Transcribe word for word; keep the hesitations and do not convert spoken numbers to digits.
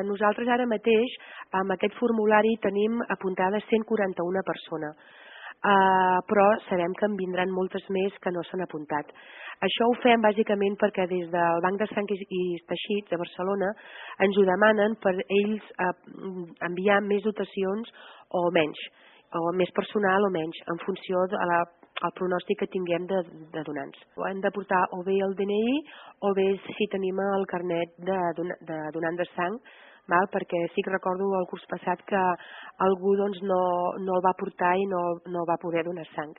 nosaltres ara mateix amb aquest formulari tenim apuntades cent quaranta-una persones, uh, però sabem que en vindran moltes més que no s'han apuntat. Això ho fem bàsicament perquè des del Banc de Sang i Teixits de Barcelona ens ho demanen per ells uh, enviar més dotacions o menys, o més personal o menys, en funció de la el pronòstic que tinguem de, de donants. Hem de portar o bé el D N I o bé si tenim el carnet de, de donant de sang, val? Perquè sí que recordo el curs passat que algú doncs, no, no el va portar i no, no va poder donar sang.